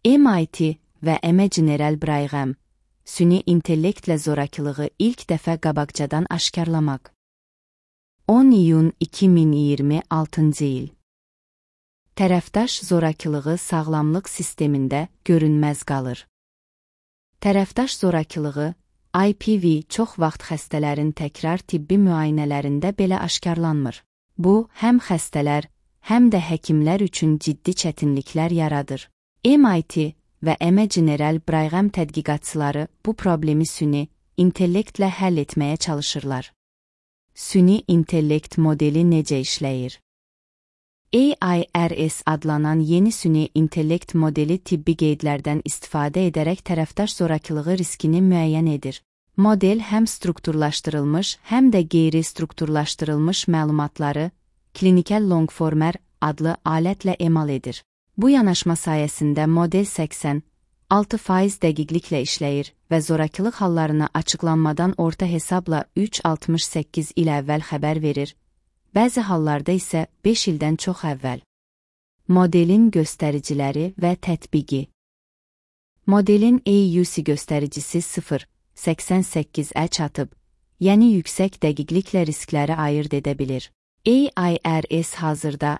MIT və General Brigham, süni intellektlə zorakılığı ilk dəfə qabaqcadan aşkarlamaq. 10 iyun 2026-cı il. Tərəfdaş zorakılığı sağlamlıq sistemində görünməz qalır. Tərəfdaş zorakılığı, IPV çox vaxt xəstələrin təkrar tibbi müayinələrində belə aşkarlanmır. Bu, həm xəstələr, həm də həkimlər üçün ciddi çətinliklər yaradır. MIT və General Brigham tədqiqatçıları bu problemi süni intellektlə həll etməyə çalışırlar. Süni intellekt modeli necə işləyir? AIRS adlanan yeni süni intellekt modeli tibbi qeydlərdən istifadə edərək tərəfdaş zorakılığı riskini müəyyən edir. Model həm strukturlaşdırılmış, həm də qeyri-strukturlaşdırılmış məlumatları klinikal longformer adlı alətlə emal edir. Bu yanaşma sayəsində model 86% dəqiqliklə işləyir və zorakılıq hallarına açıqlanmadan orta hesabla 3,68 il əvvəl xəbər verir, bəzi hallarda isə 5 ildən çox əvvəl. Modelin göstəriciləri və tətbiqi. Modelin AUC göstəricisi 0,88-ə çatıb, yəni yüksək dəqiqliklə riskləri ayırd edə bilir. AIRS hazırda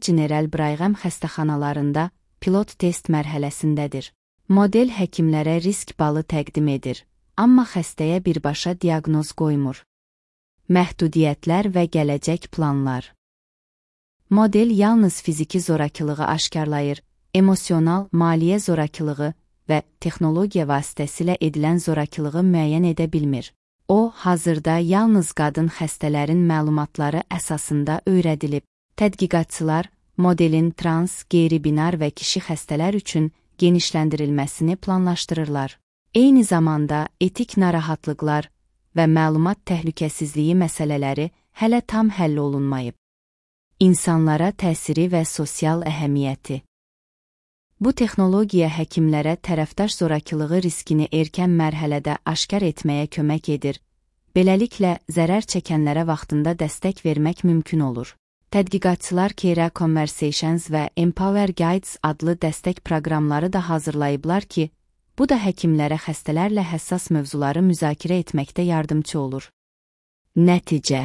General Brigham xəstəxanalarında pilot test mərhələsindədir. Model həkimlərə risk balı təqdim edir, amma xəstəyə birbaşa diaqnoz qoymur. Məhdudiyyətlər və gələcək planlar. Model yalnız fiziki zorakılığı aşkarlayır, emosional, maliyyə zorakılığı və texnologiya vasitəsilə edilən zorakılığı müəyyən edə bilmir. O, hazırda yalnız qadın xəstələrin məlumatları əsasında öyrədilib. Tədqiqatçılar, modelin trans, qeyri-binar və kişi xəstələr üçün genişləndirilməsini planlaşdırırlar. Eyni zamanda etik narahatlıqlar və məlumat təhlükəsizliyi məsələləri hələ tam həll olunmayıb. İnsanlara təsiri və sosial əhəmiyyəti. Bu texnologiya həkimlərə tərəfdaş zorakılığı riskini erkən mərhələdə aşkar etməyə kömək edir. Beləliklə, zərər çəkənlərə vaxtında dəstək vermək mümkün olur. Tədqiqatçılar Care Conversations və Empower Guides adlı dəstək proqramları da hazırlayıblar ki, bu da həkimlərə xəstələrlə həssas mövzuları müzakirə etməkdə yardımçı olur. Nəticə.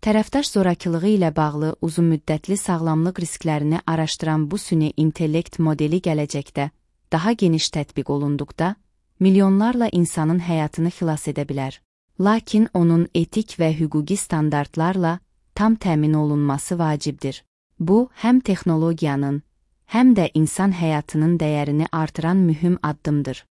Tərəfdaş zorakılığı ilə bağlı uzunmüddətli sağlamlıq risklərini araşdıran bu süni intellekt modeli gələcəkdə daha geniş tətbiq olunduqda milyonlarla insanın həyatını xilas edə bilər. Lakin onun etik və hüquqi standartlarla tam təmin olunması vacibdir. Bu, həm texnologiyanın, həm də insan həyatının dəyərini artıran mühüm addımdır.